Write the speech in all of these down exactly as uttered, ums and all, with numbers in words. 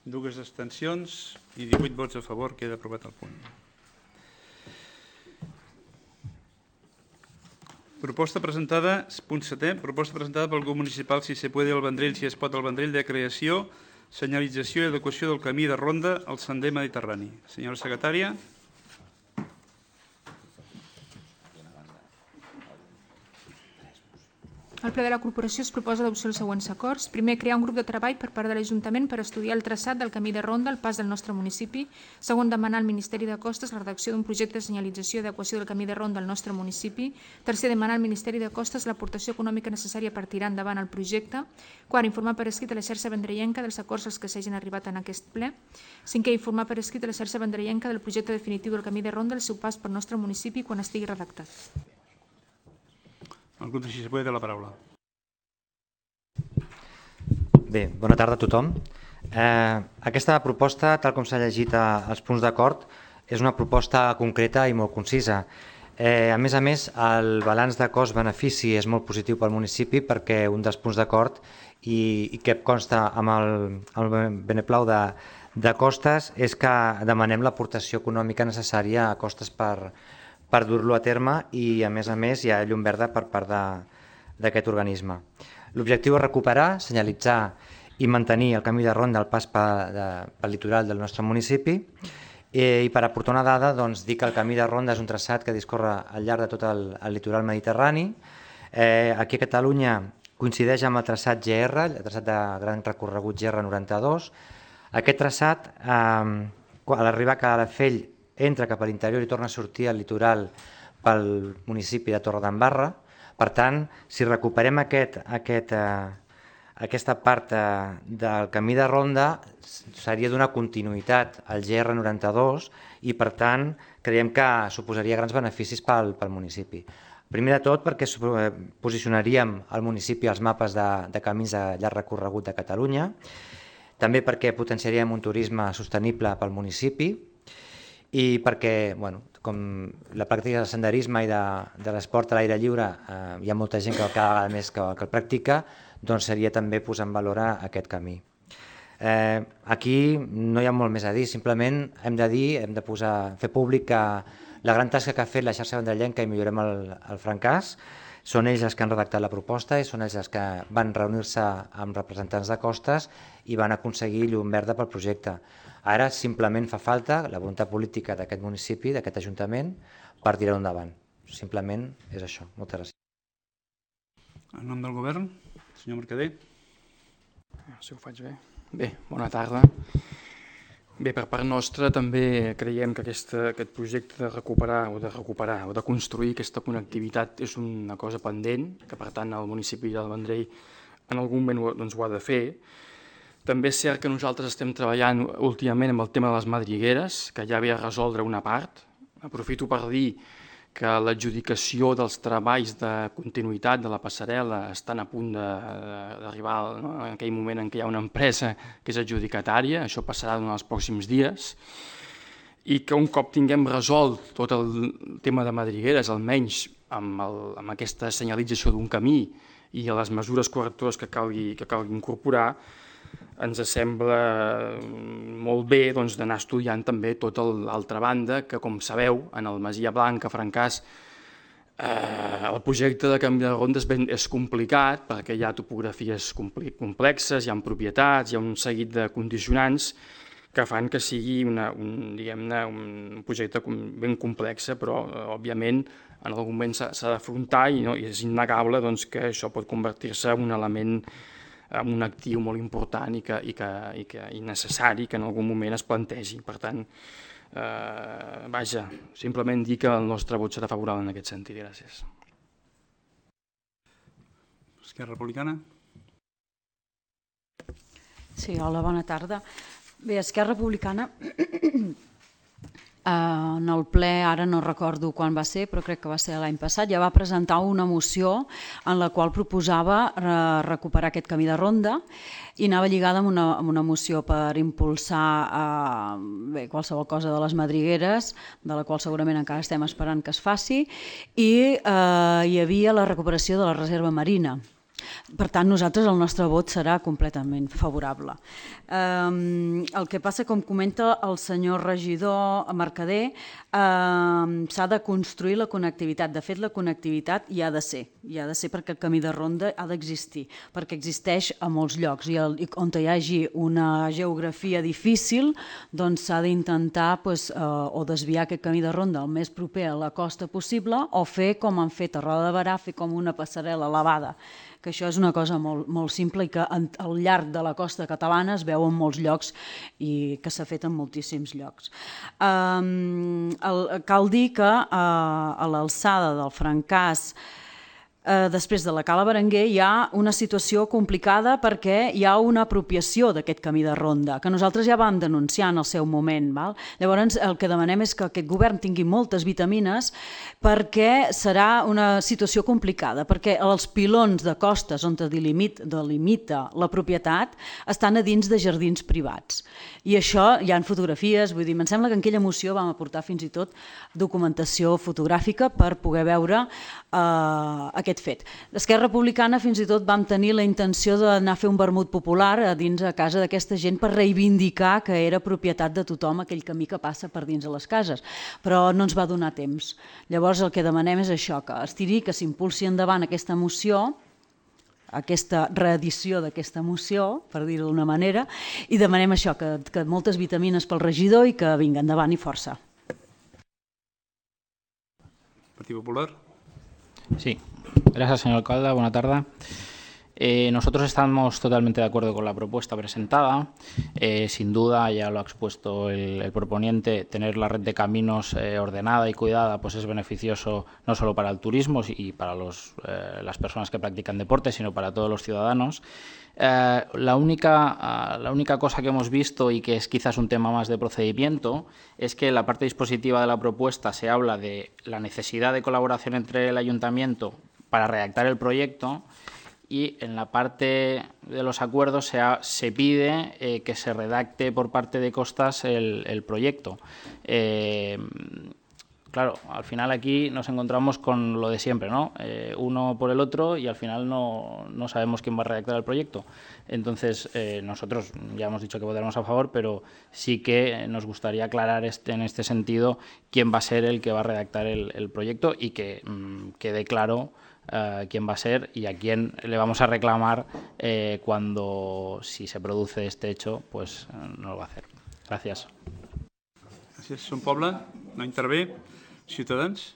dues abstencions i divuit vots a favor. Queda aprovat el punt. Proposta presentada, punt setè, proposta presentada pel grup municipal Si se puede al Vendrell, si es pot al Vendrell, de creació, senyalització i adequació del camí de ronda al sender mediterrani. Senyora secretària. Al ple de la corporació es proposa l'adopció dels següents acords. Primer, crear un grup de treball per part de l'Ajuntament per estudiar el traçat del camí de ronda al pas del nostre municipi. Segon, demanar al Ministeri de Costes la redacció d'un projecte de senyalització i adequació del camí de ronda al nostre municipi. Tercer, demanar al Ministeri de Costes l'aportació econòmica necessària per tirar endavant el projecte. Quart, informar per escrit a la xarxa vendrellenca dels acords als que s'hagin arribat en aquest ple. Cinquè, informar per escrit a la xarxa vendrellenca del projecte definitiu del camí de ronda al seu pas pel nostre municipi quan estigui redactat. El grup de Si se puede té la paraula. Bé, bona tarda a tothom. Eh, aquesta proposta, tal com s'ha llegit als punts d'acord, és una proposta concreta i molt concisa. Eh, a més a més, el balanç de cost-benefici és molt positiu pel municipi perquè un dels punts d'acord i, i que consta amb el, el beneplau de, de Costes és que demanem l'aportació econòmica necessària a Costes per, per dur-lo a terme i, a més a més, hi ha llum verda per part d'aquest organisme. L'objectiu és recuperar, senyalitzar i mantenir el camí de ronda al pas pel litoral del nostre municipi i per aportar una dada doncs, dir que el camí de ronda és un traçat que discorre al llarg de tot el, el litoral mediterrani. Eh, aquí a Catalunya coincideix amb el traçat G R, el traçat de gran recorregut G R noranta-dos. Aquest traçat, eh, a l'arribar a Calafell, entra cap a l'interior i torna a sortir al litoral pel municipi de Torredembarra. Per tant, si recuperem aquest, aquest, eh, aquesta part eh, del camí de ronda, seria d'una continuïtat al G R noranta-dos i, per tant, creiem que suposaria grans beneficis pel, pel municipi. Primer de tot, perquè posicionaríem el municipi als mapes de, de camins de llarg recorregut de Catalunya, també perquè potenciaríem un turisme sostenible pel municipi i perquè, bueno, com la pràctica del senderisme i de, de l'esport a l'aire lliure eh, hi ha molta gent que cada vegada més que, que el practica, doncs seria també posar en valor aquest camí. Eh, aquí no hi ha molt més a dir, simplement hem de dir, hem de posar, fer públic que la gran tasca que ha fet la xarxa vendrellenca i millorem el, el francàs, són ells els que han redactat la proposta i són ells els que van reunir-se amb representants de Costes i van aconseguir llum verda pel projecte. Ara simplement fa falta la voluntat política d'aquest municipi, d'aquest ajuntament, per tirar-ho endavant. Simplement és això. Moltes gràcies. En nom del govern, senyor Mercader. Si ho faig bé. Bé, bona tarda. Bé, per part nostra també creiem que aquesta, aquest projecte de recuperar o de recuperar o de construir aquesta connectivitat és una cosa pendent, que per tant el municipi del Vendrell en algun moment doncs, ho ha de fer. També és cert que nosaltres estem treballant últimament amb el tema de les madrigueres, que ja ve a resoldre una part. Aprofito per dir que l'adjudicació dels treballs de continuïtat de la passarel·la estan a punt d'arribar, no? En aquell moment en què hi ha una empresa que és adjudicatària, això passarà en els pròxims dies, i que un cop tinguem resolt tot el tema de madrigueres, almenys amb, el, amb aquesta senyalització d'un camí i les mesures correctores que calgui, que calgui incorporar, ens sembla molt bé doncs, d'anar estudiant també tota l'altra banda, que com sabeu, en el Masia Blanca, Francàs, eh, el projecte de canvi de ronda és, ben, és complicat perquè hi ha topografies complexes, hi ha propietats, hi ha un seguit de condicionants que fan que sigui una, un, diguem-ne, un projecte ben complex, però òbviament en algun moment s'ha d'afrontar i, no, i és innegable doncs, que això pot convertir-se en un element amb un actiu molt important i, que, i, que, i, que, i necessari que en algun moment es plantegi. Per tant, eh, vaja, simplement dir que el nostre vot serà favorable en aquest sentit. Gràcies. Esquerra Republicana. Sí, hola, bona tarda. Bé, Esquerra Republicana, en el ple, ara no recordo quan va ser, però crec que va ser l'any passat, ja va presentar una moció en la qual proposava recuperar aquest camí de ronda i anava lligada amb una, amb una moció per impulsar eh, bé, qualsevol cosa de les madrigueres, de la qual segurament encara estem esperant que es faci, i eh, hi havia la recuperació de la reserva marina. Per tant, nosaltres el nostre vot serà completament favorable. El que passa, com comenta el senyor regidor Mercader, s'ha de construir la connectivitat. De fet, la connectivitat hi ha de ser, hi ha de ser perquè el camí de ronda ha d'existir, perquè existeix a molts llocs i on hi hagi una geografia difícil doncs s'ha d'intentar o desviar aquest camí de ronda el més proper a la costa possible o fer com han fet a Roda de Berà, fer com una passarel·la elevada, que això és una cosa molt, molt simple i que al llarg de la costa catalana es veu en molts llocs i que s'ha fet en moltíssims llocs. Um, el, cal dir que uh, a l'alçada del Francàs, Uh, després de la Cala Berenguer hi ha una situació complicada perquè hi ha una apropiació d'aquest camí de ronda que nosaltres ja vam denunciar en el seu moment. Val? Llavors el que demanem és que aquest govern tingui moltes vitamines perquè serà una situació complicada, perquè els pilons de costes on delimita, delimita la propietat estan a dins de jardins privats. I això hi ha fotografies, vull dir, em sembla que en aquella moció vam aportar fins i tot documentació fotogràfica per poder veure uh, aquest fet. L'Esquerra Republicana fins i tot vam tenir la intenció d'anar a fer un vermut popular a dins a casa d'aquesta gent per reivindicar que era propietat de tothom aquell camí que passa per dins de les cases, però no ens va donar temps. Llavors el que demanem és això, que es tiri, que s'impulsi endavant aquesta moció, aquesta reedició d'aquesta moció, per dir-ho d'una manera, i demanem això, que, que moltes vitamines pel regidor i que vinga endavant i força. Partit Popular. Sí, gracias señor alcalde, buena tarde. Eh, nosotros estamos totalmente de acuerdo con la propuesta presentada. Eh, sin duda, ya lo ha expuesto el, el proponiente, tener la red de caminos eh, ordenada y cuidada pues es beneficioso no solo para el turismo y para los, eh, las personas que practican deporte, sino para todos los ciudadanos. Eh, la, única, uh, la única cosa que hemos visto y que es quizás un tema más de procedimiento es que en la parte dispositiva de la propuesta se habla de la necesidad de colaboración entre el ayuntamiento para redactar el proyecto y en la parte de los acuerdos se, ha, se pide eh, que se redacte por parte de Costas el, el proyecto. Eh, Claro, al final aquí nos encontramos con lo de siempre, ¿no? Eh, uno por el otro y al final no, no sabemos quién va a redactar el proyecto. Entonces, eh, nosotros ya hemos dicho que votaremos a favor, pero sí que nos gustaría aclarar este, en este sentido quién va a ser el que va a redactar el, el proyecto y que mmm, quede claro uh, quién va a ser y a quién le vamos a reclamar eh, cuando, si se produce este hecho, pues uh, no lo va a hacer. Gracias. Gràcies. Son Poble, no intervé. Ciutadans?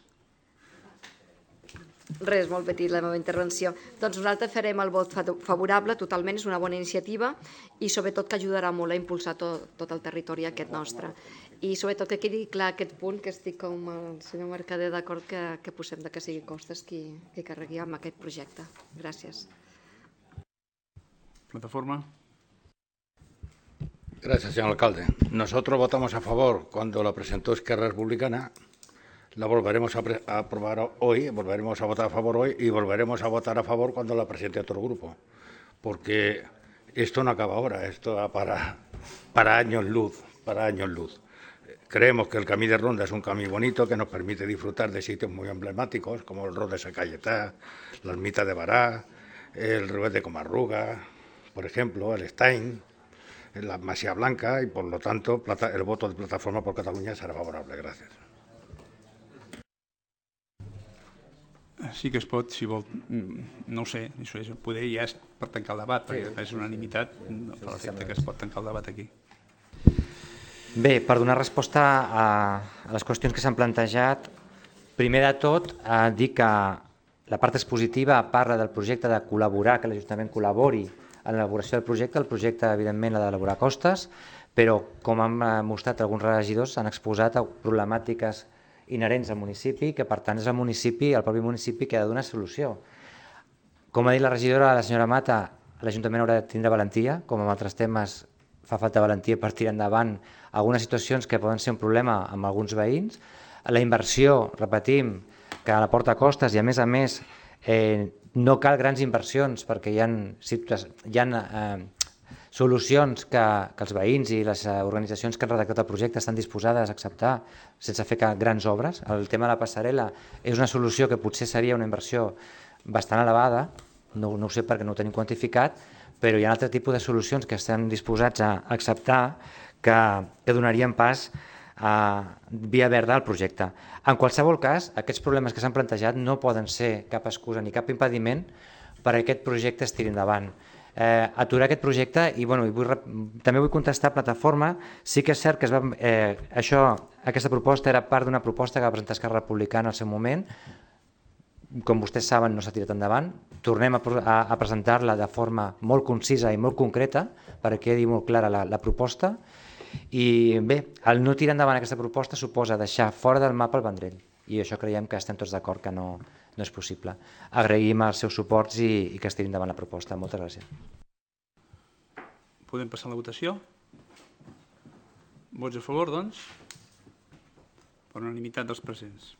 Res, molt petit la meva intervenció. Doncs nosaltres farem el vot favorable, totalment, és una bona iniciativa i sobretot que ajudarà molt a impulsar tot, tot el territori aquest nostre. I sobretot que quedi clar aquest punt, que estic com el senyor Mercader d'acord que, que posem de que sigui Costes qui, qui carregui amb aquest projecte. Gràcies. Plataforma. Gracias, señor alcalde. Nosotros votamos a favor cuando la presentó Esquerra Republicana. La volveremos a, a aprobar hoy, volveremos a votar a favor hoy y volveremos a votar a favor cuando la presente otro grupo. Porque esto no acaba ahora, esto va para, para años luz, para años luz. Creemos que el Camí de Ronda es un camino bonito que nos permite disfrutar de sitios muy emblemáticos como el Rod de Sant Cayetà, la Ermita de Barà, el Ruet de Comarruga, por ejemplo, el Stein, la Masía Blanca y por lo tanto el voto de Plataforma por Cataluña será favorable. Gracias. Sí que es pot, si vol, no ho sé, això és, poder ja és per tancar el debat, perquè és unanimitat, no fa l'efecte que es pot tancar el debat aquí. Bé, per donar resposta a, a les qüestions que s'han plantejat, primer de tot, eh, dir que la part expositiva parla del projecte de col·laborar, que l'Ajuntament col·labori en l'elaboració del projecte. El projecte, evidentment, l'ha d'elaborar Costes, però, com han mostrat alguns regidors, han exposat problemàtiques inherents al municipi, que per tant és el municipi, el propi municipi que ha de donar solució. Com ha dit la regidora, la senyora Mata, l'Ajuntament haurà de tindre valentia, com en altres temes fa falta valentia per tirar endavant algunes situacions que poden ser un problema amb alguns veïns. La inversió, repetim, que la porta a Costes i a més a més eh, no cal grans inversions perquè hi ha, hi ha eh, solucions que, que els veïns i les organitzacions que han redactat el projecte estan disposades a acceptar sense fer grans obres. El tema de la passarel·la és una solució que potser seria una inversió bastant elevada, no, no ho sé perquè no ho tenim quantificat, però hi ha altre tipus de solucions que estem disposats a acceptar que, que donarien pas a via verda al projecte. En qualsevol cas, aquests problemes que s'han plantejat no poden ser cap excusa ni cap impediment perquè aquest projecte es tiri endavant. Eh, aturar aquest projecte i, bueno, i vull, també vull contestar a Plataforma. Sí que és cert que es va, eh, això, aquesta proposta era part d'una proposta que va presentar Esquerra Republicana al seu moment. Com vostès saben, no s'ha tirat endavant. Tornem a, a, a presentar-la de forma molt concisa i molt concreta perquè quedi molt clara la, la proposta. I bé, el no tirar endavant aquesta proposta suposa deixar fora del mapa el Vendrell i això creiem que estem tots d'acord que no, no és possible. Agraïm els seus suports i, i que es tiri endavant la proposta. Moltes gràcies. Podem passar a la votació? Vots a favor, doncs? Per unanimitat dels presents.